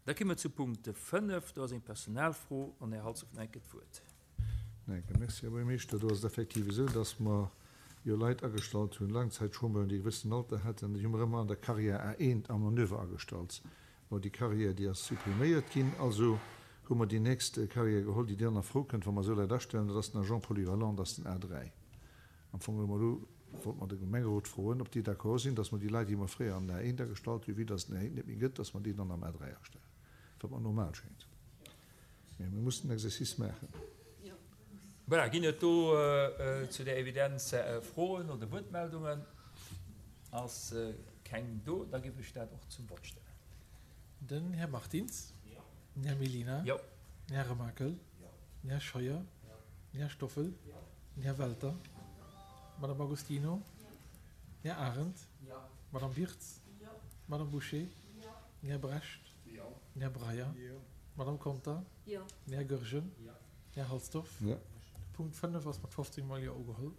Da komme mer zu Punkt 5, do ass eng Personalfro an Här Halsdorf huet nach eng Kéier d'Wuert. Danke. Merci, Här Buergermeeschter. Do ass et effektiv esou, dass mer jo Leit agestallt hunn, Langzeitchômeuren, déi e gewëssenen Alter hätten, déi hu mer ëmmer an der Carrière A1 am Manöver agestallt. Bon, déi Carrière, déi ass suppriméiert ginn. Also hu mer déi nächst Carrière geholl, déi dann a Fro kënnt, wa mer esou Leit astellen, dat ass den Agent polyvalent, dat ass den A3. Am Fong hu mer elo, wollte mer de Gemengerot froen, ob déi d'accord sinn, dass mer déi Leit, déi mer fréier an den A1 agestallt hunn, vue dass et den A1 net méi gëtt, dass mer déi dann am A3 astellen, wat mer normal schéngt. Mä mir mussen den Exercice maachen. Voilà, ginn et do zu där Evidenz Froen oder Wuertmeldungen? Ass keng do, da géif ech dat och zum Vott stellen. Den Här Martins. Den Här Mellina. Den Här Remakel. Den Här Scheuer. Den Här Stoffel. Den Här Welter. D'Madame Agostino. Den Här Arendt. D'Madame Wirtz. D'Madame Bouché. Den Här Brecht. Den Här Breyer. D'Madame Conter. Den Här Goergen. Den Här Halsdorf. De Punkt 5 ass mat 15 mol Jo ugeholl.